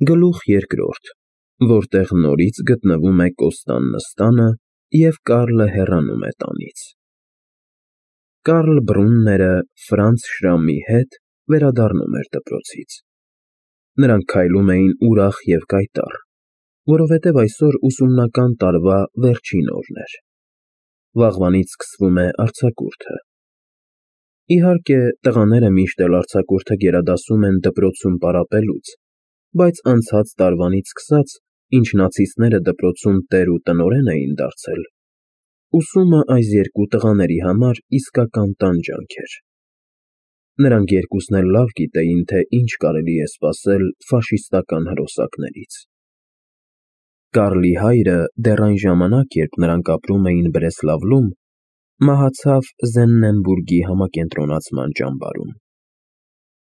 Գլուխ երկրորդ, որտեղ նորից գտնվում է Կոստան նստանը և Կարլը հեռանում է տանից։ Կարլ Բրունները Ֆրանց Շրամի հետ վերադառնում էր դպրոցից։ Նրանք քայլում էին ուրախ և կայտառ, որովհետև այսօր ուսումնական տարվա վերջին օրն էր։ Վաղվանից սկսվում է արձակուրդը։ Իհարկե, տղաները միշտ էլ արձակուրդը գերադասում են դպրոցում պարապելուց, բայց անցած տարվանից սկսած, ինչ նացիստները դպրոցում տեր ու տնօրեն էին դարձել, ուսումը այս երկու տղաների համար իսկական տանջանք էր։ Նրանք երկուսն էլ լավ գիտեին, թե ինչ կարելի է սպասել ֆաշիստական հրոսակներից։ Կարլի հայրը դեռ այն ժամանակ, երբ նրանք ապրում էին Բրեսլավլում, մահացավ Զեննենբուրգի համակենտրոնացման ճամբարում։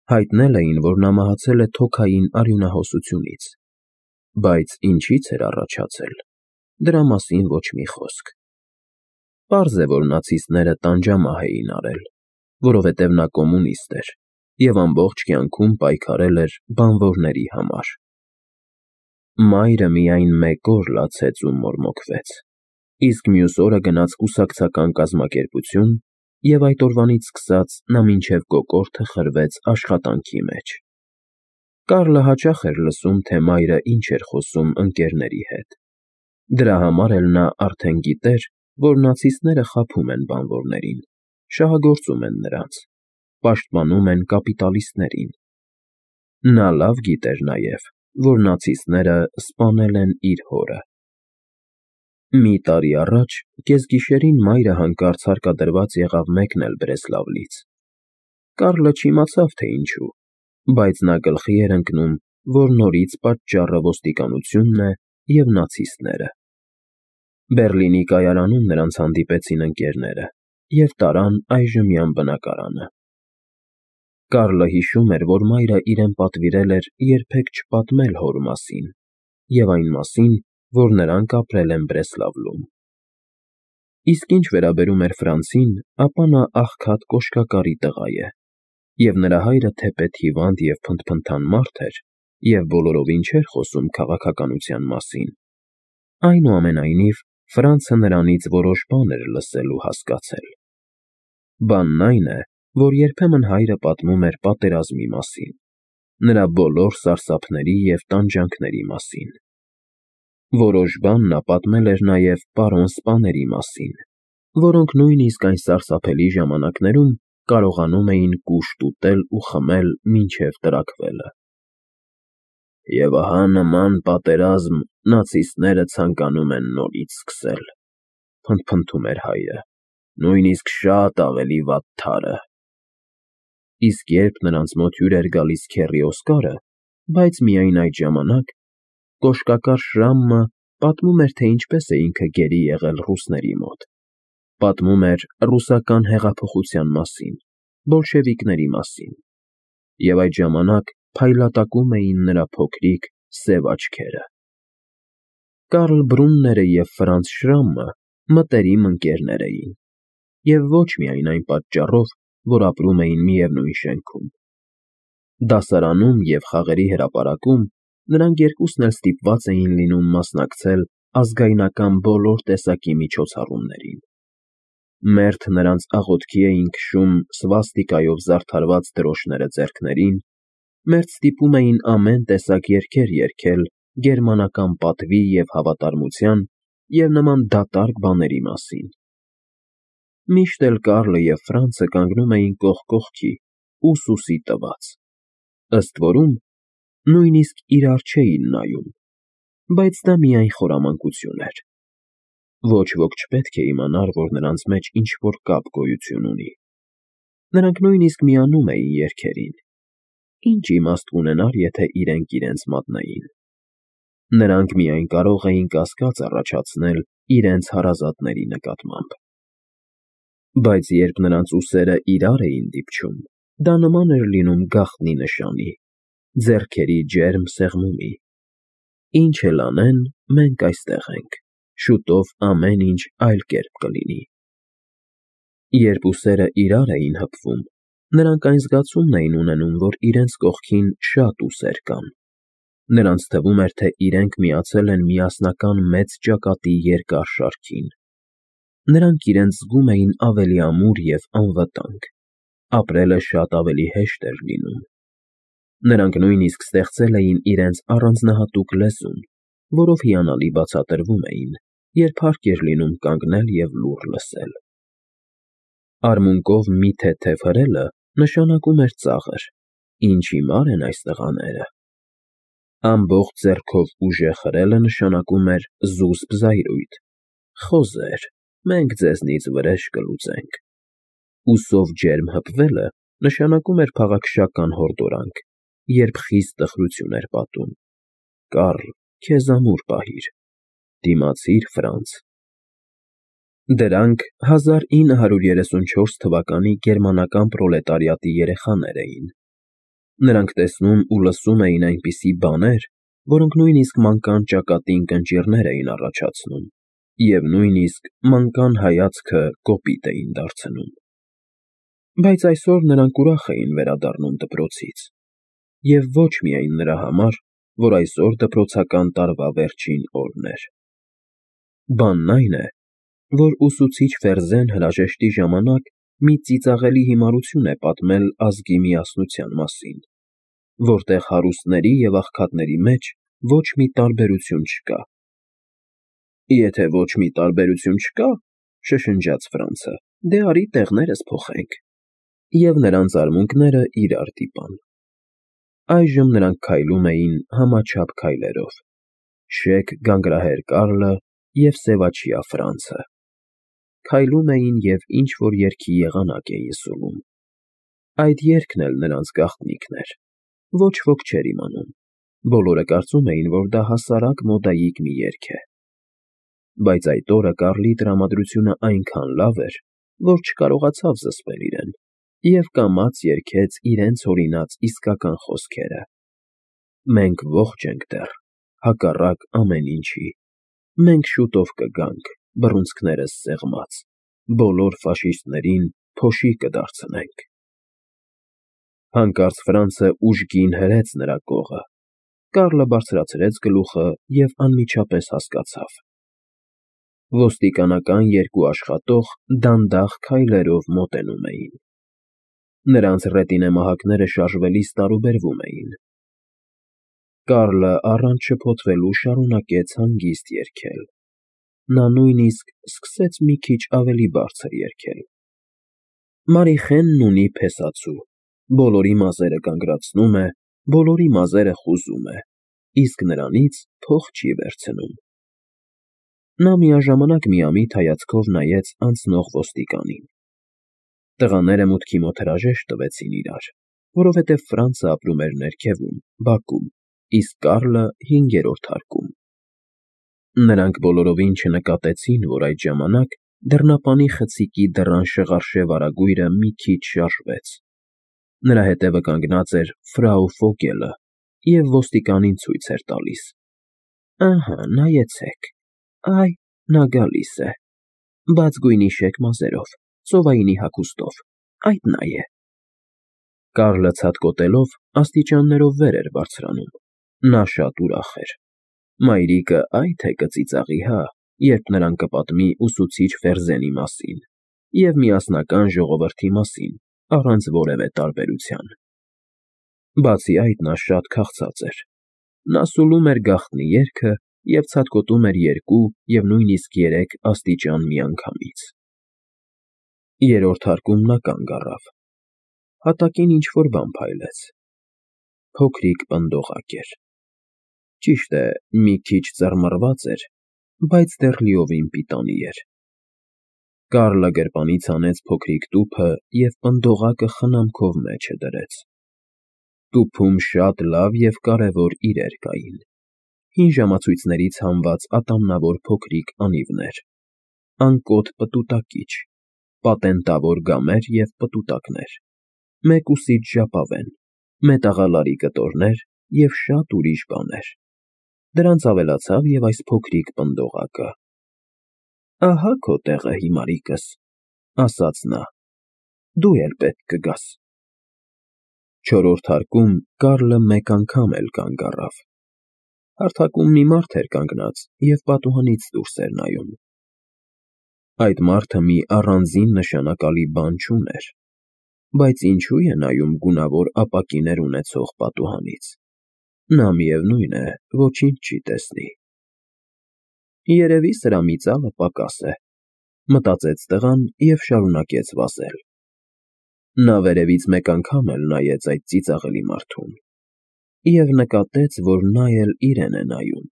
Հայտնել էին, որ նա մահացել է թոքային արյունահոսությունից, բայց ինչից էր առաջացել, դրա մասին ոչ մի խոսք։ Պարզ է, որ նացիստները տանջամահ էին արել, որովհետև նա կոմունիստ էր և ամբողջ կյանքում պայքարել էր բանվորների համար։ Մայրը միայն մեկ օր լացեց ու մորմոքվեց, իսկ մյուս օրը գնաց կուսակցական կազմակերպություն և այդ օրվանից սկսած նա մինչև կոկորդը խրվեց աշխատանքի մեջ։ Կարլը հաճախ էր լսում, թե մայրը ինչ էր խոսում ընկերների հետ։ Դրա համար էլ նա արդեն գիտեր, որ նացիստները խաբում են բանվորներին, շահագործում են նրանց, պաշտպանում են կապիտալիստներին։ Նա լավ գիտեր նաև, որ նացիստները սպանել են իր հորը։ Մի տարի առաջ կեսգիշերին մայրը հանկարծ հարկադրված եղավ մեկնել Բրեսլավլից։ Կարլը չիմացավ, թե ինչու, բայց նա գլխի էր ընկնում, որ նորից պատճառը ոստիկանությունն է և նացիստները։ Բեռլինի կայարանում նրանց հանդիպեցին ընկերները և տարան այժմյան բնակարանը։ Կարլը հիշում էր, որ մայրը իրեն պատվիրել էր երբեք չպատմել հոր մասին և այն մասին, որ նրանք ապրել են Բրեսլավլում։ Իսկ ինչ վերաբերում էր Ֆրանցին, ապա նա աղքատ կոշկակարի տղա է, և նրա հայրը թեպետ հիվանդ և փնթփնթան մարդ էր և բոլորովին չէր խոսում քաղաքականության մասին, այնուամենայնիվ Ֆրանցը նրանից որոշ բան էր լսել ու հասկացել։ Բանն այն է, որ երբեմն հայրը պատմում էր պատերազմի մասին, նրա բոլոր սարսափների և տանջանքների մասին։ Որոշ բան նա պատմել էր նաև պարոն սպաների մասին, որոնք նույնիսկ այն սարսափելի ժամանակներում կարողանում էին կուշտ ուտել ու խմել մինչև տրաքվելը։ Եվ ահա նման պատերազմ նացիստները ցանկանում են նորից սկսել, փնթփնթում էր հայրը, նույնիսկ շատ ավելի վատթարը։ Իսկ երբ նրանց մոտ հյուր էր գալիս քեռի Օսկարը, բայց միայն այդ ժամանակ, կոշկակար Շրամը պատմում էր, թե ինչպես է ինքը գերի եղել ռուսների մոտ, պատմում էր ռուսական հեղափոխության մասին, բոլշևիկների մասին, և այդ ժամանակ փայլատակում էին նրա փոքրիկ, սև աչքերը։ Կարլ Բրունները և Ֆրանց Շրամը մտերիմ ընկերներ էին, և ոչ միայն այն պատճառով, որ ապրում էին միևնույն շենքում։ Դասարանում և խաղերի հրապարակում նրանք երկուսն էլ ստիպված էին լինում մասնակցել ազգայնական բոլոր տեսակի միջոցառումներին։ Մերթ նրանց աղոթքի էին քշում սվաստիկայով զարդարված դրոշները ձեռքներին, մերթ ստիպում էին ամեն տեսակ երգեր երգել գերմանական պատվի և հավատարմության և նման դատարկ բաների մասին։ Միշտ էլ Կարլը և Ֆրանցը կանգնում էին կողք կողքի, ուսուսի տված, ըստ որում, նույնիսկ իրար չէին նայում, բայց դա միայն խորամանկություն էր։ Ոչ ոք չպետք է իմանար, որ նրանց մեջ ինչ-որ կապ գոյություն ունի։ Նրանք նույնիսկ միանում էին երգերին։ Ինչ իմաստ կունենար, եթե իրենք իրենց մատնեին։ Նրանք միայն կարող էին կասկած առաջացնել իրենց հարազատների նկատմամբ։ Բայց երբ նրանց ուսերը իրար էին դիպչում, դա նման էր լինում գաղտնի նշանի, ձեռքերի ջերմ սեղմումի։ Ինչ էլ անեն, մենք այստեղ ենք, շուտով ամեն ինչ այլ կերպ կլինի։ Երբ ուսերը իրար էին հպվում, նրանք այն զգացումն էին ունենում, որ իրենց կողքին շատ ուսեր կան, Նրանց թվում էր, թե իրենք միացել են միասնական մեծ ճակատի երկար շարքին։ Նրանք իրենց զգում էին ավելի ամուր և անվտանգ, ապրելը շատ ավելի հեշտ էր լինում։ Նրանք նույնիսկ ստեղծել էին իրենց առանձնահատուկ լեզուն, որով հիանալի բացատրվում էին, երբ հարկ էր լինում կանգնել և լուռ լսել։ Արմունկով մի թեթև հրելը նշանակում էր ծաղր, ինչ հիմար են այս տղաները։ Ամբողջ ձեռքով ուժեղ հրելը նշանակում էր զուսպ զայրույթ. խոզեր, մենք ձեզնից վրեժ կլուծենք։ Ուսով ջերմ հպվելը նշանակում էր փաղաքշական հորդորանք, երբ խիստ տխրություն էր պատում. Կարլ, քեզ ամուր պահիր, դիմացիր Ֆրանց։ Դրանք 1934 թվականի գերմանական պրոլետարիատի երեխաներ էին։ Նրանք տեսնում ու լսում էին այնպիսի բաներ, որոնք նույնիսկ մանկան ճակատին կնճիռներ էին առաջացնում, և նույնիսկ մանկան հայացքը կոպիտ էին դարձնում։ Բայց այսօր նրանք ուրախ էին վերադառնում դպրոցից, և ոչ միայն նրա համար, որ այսօր դպրոցական տարվա վերջին օրն էր։ Բանն այն է, որ ուսուցիչ Ֆերզեն հրաժեշտի ժամանակ մի ծիծաղելի հիմարություն է պատմել ազգի միասնության մասին, որտեղ հարուստների և աղքատների մեջ ոչ մի տարբերություն չկա։ Եթե ոչ մի տարբերություն չկա, շշնջաց Ֆրանցը, դե արի տեղներս փոխենք։ Եվ նրանց արմունկները իրար դիպան։ Այժմ նրանք քայլում էին համաչափ քայլերով. շեկ գանգրահեր Կարլը և սևաչյա Ֆրանցը։ Քայլում էին և ինչ-որ երգի եղանակ էին սուլում։ Այդ երգն էլ նրանց գաղտնիքն էր։ Ոչ ոք չէր իմանում։ Բոլորը կարծում էին, որ դա հասարակ մոդայիկ մի երգ է։ Բայց այդ օրը Կարլի տրամադրությունը այնքան լավ էր, որ չկարողացավ զսպել իրեն, և կամաց երգեց իրենց հորինած իսկական խոսքերը. Մենք ողջ ենք դեռ, հակառակ ամեն ինչի։ Մենք շուտով կգանք, բռունցքներս սեղմած, բոլոր ֆաշիստներին փոշի կդարձնենք։ Հանկարծ Ֆրանցը ուժգին հրեց նրա կողը։ Կարլը բարձրացրեց գլուխը և անմիջապես հասկացավ. ոստիկանական երկու աշխատող դանդաղ քայլերով մոտենում էին։ Նրանց ռետինեմահակները շարժվելիս տարուբերվում էին։ Կարլը առանց շփոթվելու շարունակեց հանգիստ երգել։ Նա նույնիսկ սկսեց մի քիչ ավելի բարձր երգել. Մարիխենն ունի փեսացու, բոլորի մազերը կանգրացնում է, բոլորի մազերը խուզում է, իսկ նրանից փող չի վերցնում։ Նա միաժամանակ միամիտ հայացքով նայեց անցնող ոստիկանին։ Տղաները մուտքի մոտ հրաժեշտ տվեցին իրար, որովհետև Ֆրանցը ապրում էր ներքևում, բակում, իսկ Կարլը հինգերորդ հարկում։ Նրանք բոլորովին չնկատեցին, որ այդ ժամանակ դռնապանի խցիկի դռան շղարշե վարագույրը մի քիչ շարժվեց։ Նրա հետևը կանգնած էր ֆրау Ֆոգելը և ոստիկանին ցույց էր տալիս. Ահա, նայեցեք, այ, նա գալիս է, բաց գույնի շեկ մազերով, ծովայինի հագուստով, այդ նա է։ Կարլը ցատկոտելով աստիճաններով վեր էր բարձրանում։ Նա շատ ուրախ էր։ Մայրիկը այ թե կծիծաղի, հա, երբ նրան կպատմի ուսուցիչ Ֆերզենի մասին և միասնական ժողովրդի մասին, առանց որևէ տարբերության։ Բացի այդ, նա շատ քաղցած էր։ Նա սուլում էր գաղտնի երգը և ցատկոտում էր երկու և նույնիսկ երեք աստիճան միանգամից։ Երրորդ հարկում նա կանգ առավ։ Հատակին ինչ֊որ բան փայլեց։ Փոքրիկ պնդողակ էր։ Ճիշտ է, մի քիչ ծռմռված էր, բայց դեռ լիովին պիտանի էր։ Կարլը գրպանից հանեց փոքրիկ տուփը և պնդողակը խնամքով մեջը դրեց։ Տուփում շատ լավ և կարևոր իրեր կային։ Հին ժամացույցներից հանված ատամնավոր փոքրիկ անիվներ, անկոտ պտուտակիչ, պատենտավոր գամեր և պտուտակներ, մեկուսիչ ժապավեն, մետաղալարի կտորներ և շատ ուրիշ բաներ։ Դրանց ավելացավ և այս փոքրիկ պնդողակը։ Ահա քո տեղը, հիմարիկս, ասաց նա, դու էլ պետք կգաս։ Չորրորդ հարկում Կարլը մեկ անգամ էլ կանգ առավ։ հարթակում մի մարդ էր կանգնած և պատուհանից դուրս էր նայում։ Այդ մարդը մի առանձին նշանակալի բան չուներ, բայց ինչու է նայում գունավոր ապակիներ ունեցող պատուհանից։ Նա միևնույն է, ոչինչ չի տեսնի։ Երևի սրա մի ծալը պակաս է, մտածեց տղան և շարունակեց վազել։ Նա վերևից մեկ անգամ էլ նայեց այդ ծիծաղելի մարդուն և նկատեց, որ նա էլ իրեն է նայում։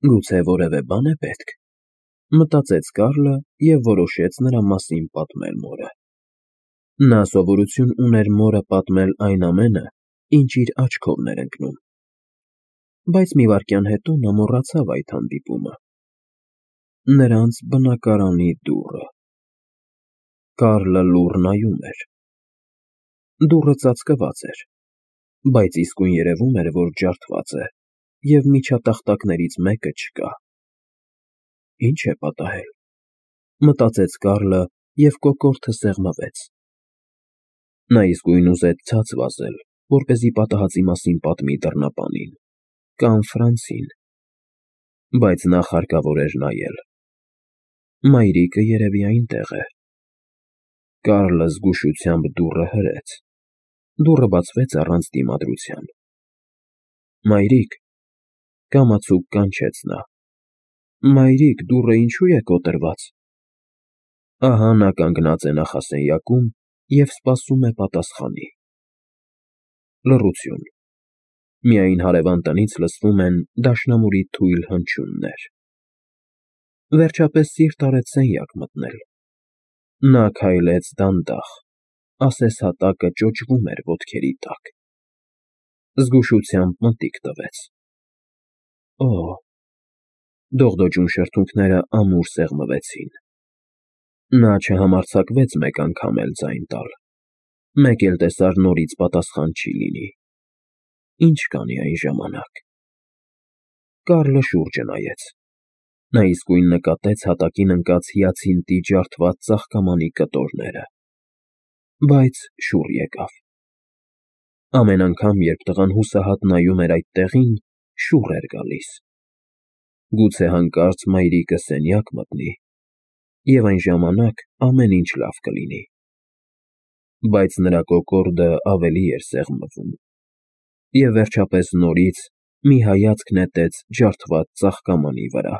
Գուցե որևէ բան է պետք, մտածեց Կարլը և որոշեց նրա մասին պատմել մորը։ Նա սովորություն ուներ մորը պատմել այն ամենը, ինչ իր աչքովն էր ընկնում։ Բայց մի վայրկյան հետո նա մոռացավ այդ հանդիպումը։ Նրանց բնակարանի դուռը։ Կարլը լուռ նայում էր։ Դուռը ծածկված էր, բայց իսկույն երևում էր, որ ջարդված է, և միջատախտակներից մեկը չկա։ Ինչ է պատահել, մտածեց Կարլը և կոկորդը սեղմվեց։ Նա իսկույն ուզեց ցած վազել, որպեսզի պատահածի մասին պատմի դռնապանին կամ Ֆրանցին, բայց նախ հարկավոր էր նայել։ Մայրիկը երևի այնտեղ է։ Կարլը զգուշությամբ դուռը հրեց։ Դուռը բացվեց առանց դիմադրության։ Մայրիկ, կամացուկ կանչեց նա։ Մայրիկ, դուռը ինչու է կոտրված։ Ահա նա կանգնած է նախասենյակում և սպասում է պատասխանի։ Լռություն։ Միայն հարևան տնից լսվում են դաշնամուրի թույլ հնչյուններ։ Վերջապես սիրտ արեց սենյակ մտնել։ Նա քայլեց դանդաղ, ասես հատակը ճոճվում էր ոտքերի տակ։ Զգուշությամբ մտիկ տվեց։ Օհ… Դողդոջուն շրթունքները ամուր սեղմվեցին։ Նա չհամարձակվեց մեկ անգամ էլ ձայն տալ։ Մեկ էլ տեսար նորից պատասխան չի լինի։ Ինչ կանի այն ժամանակ։ Կարլը շուրջը նայեց։ Նա իսկույն նկատեց հատակին ընկած հիացինտի ջարդված ծաղկամանի կտորները։ Բայց շուռ եկավ։ Ամեն անգամ, երբ տղան հուսահատ նայում էր այդ տեղին, շուռ էր գալիս։ Գուցե հանկարծ մայրիկը սենյակ մտնի, և այն ժամանակ ամեն ինչ լավ կլինի։ Բայց նրա կոկորդը ավելի էր սեղմվում, և վերջապես նորից մի հայացք նետեց ջարդված ծաղկամանի վրա։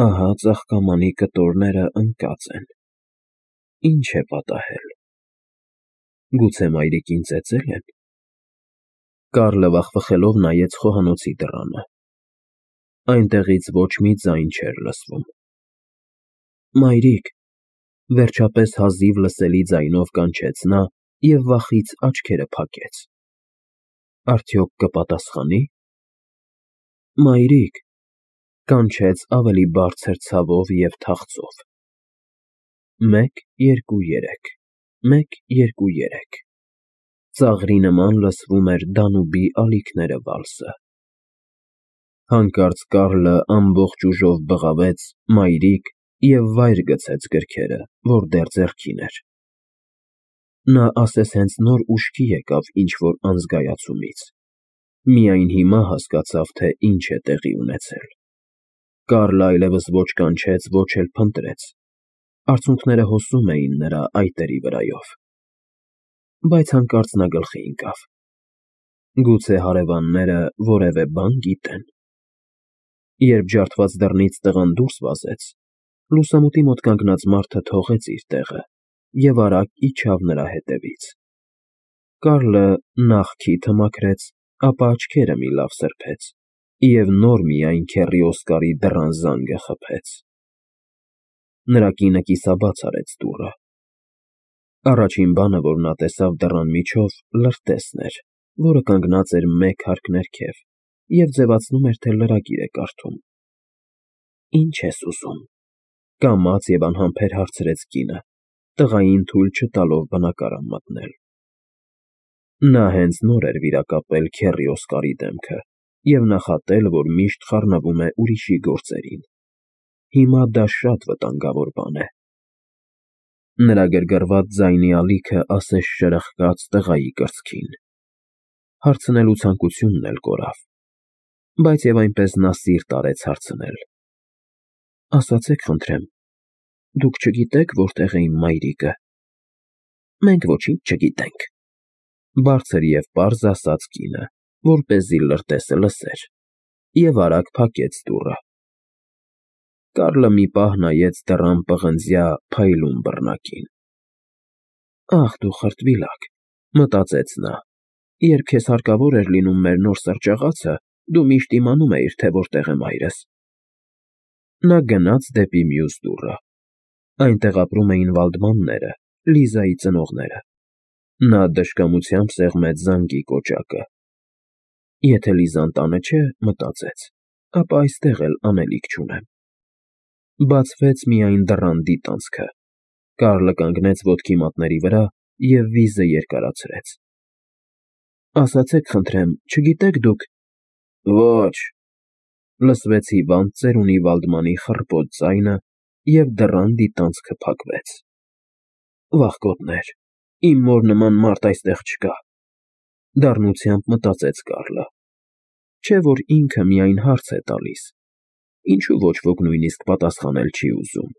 Ահա ծաղկամանի կտորները ընկած են։ Ինչ է պատահել։ Գուցե մայրիկին ծեծել են։ Կարլը վախվխելով նայեց խոհանոցի դռանը։ Այնտեղից ոչ մի ձայն չէր լսվում։ Մայրիկ, վերջապես հազիվ լսելի ձայնով կանչեց նա և վախից աչքերը փակեց։ Արդյոք կպատասխանի։ Մայրիկ, կանչեց ավելի բարձր ցավով և թախծով։ 1 2 3 1 2 3 Ծաղրի նման լսվում էր Դանուբի ալիքները վալսը։ Հանկարծ Կարլը ամբողջ ուժով բղավեց «մայրիկ» և վայր գցեց գրքերը, որ դեռ ձեռքին էր։ Նա ասես հենց նոր ուշքի եկավ ինչ֊որ անզգայացումից։ Միայն հիմա հասկացավ, թե ինչ է տեղի ունեցել։ Կարլը այլևս ոչ կանչեց, ոչ էլ փնտրեց։ Արցունքները հոսում էին նրա այտերի վրայով։ Բայց հանկարծ նա գլխի ընկավ. գուցե հարևանները որևէ բան գիտեն։ Երբ ջարդված դռնից տղան դուրս վազեց, լուսամուտի մոտ կանգնած մարդը թողեց իր տեղը և արագ իջավ նրա հետևից։ Կարլը նախ քիթը մաքրեց, ապա աչքերը մի լավ սրբեց և նոր միայն քեռի Օսկարի դռան զանգը խփեց։ Նրա կինը կիսաբաց արեց դուռը։ Առաջին բանը, որ նա տեսավ դռան միջով, լրտեսն էր, որը կանգնած էր մեկ հարկ ներքև և ձևացնում էր, թե լրագիր է կարդում։ Ի՞նչ ես ուզում, կամաց և անհամբեր հարցրեց կինը, տղային թույլ չտալով բնակարան մտնել։ Նա հենց նոր էր վիրակապել քեռի Օսկարի դեմքը և նախատել, որ միշտ խառնվում է ուրիշի գործերին։ Հիմա դա շատ վտանգավոր բան է։ Նրա գրգռված ձայնի ալիքը ասես շրխկաց տղայի կրծքին։ Հարցնելու ցանկությունն էլ կորավ։ բայց և այնպես նա սիրտ արեց հարցնել. Ասացեք խնդրեմ, դուք չգիտե՞ք որտեղ է իմ մայրիկը։ Մենք ոչինչ չգիտենք, բարձր և պարզ ասաց կինը, որպեսզի լրտեսը լսեր, և արագ փակեց դուռը։ Կարլը մի պահ նայեց դռան պղնձյա փայլուն բռնակին։ Ահ, դու խրտվիլակ, մտածեց նա, երբ քեզ հարկավոր էր լինում մեր նոր սրճաղացը, դու միշտ իմանում էիր, թե որտեղ է մայրս։ Նա գնաց դեպի մյուս դուռը։ Այնտեղ ապրում էին Վալդմանները, Լիզայի ծնողները։ Նա դժկամությամբ սեղմեց զանգի կոճակը։ Եթե Լիզան տանը չէ, մտածեց, ապա այստեղ էլ անելիք չունեմ։ Բացվեց միայն դռան դիտանցքը։ Կարլը կանգնեց ոտքի մատների վրա և վիզը երկարացրեց։ Ասացեք խնդրեմ, չգիտե՞ք դուք… Ոչ… Լսվեց հիվանդ ծերունի Վալդմանի խռպոտ ձայնը, և դռան դիտանցքը փակվեց։ Վախկոտներ, իմ մոր նման մարդ այստեղ չկա, դառնությամբ մտածեց Կարլը։ Չէ՞ որ ինքը միայն հարց է տալիս, ինչու ոչ ոք նույնիսկ պատասխանել չի ուզում։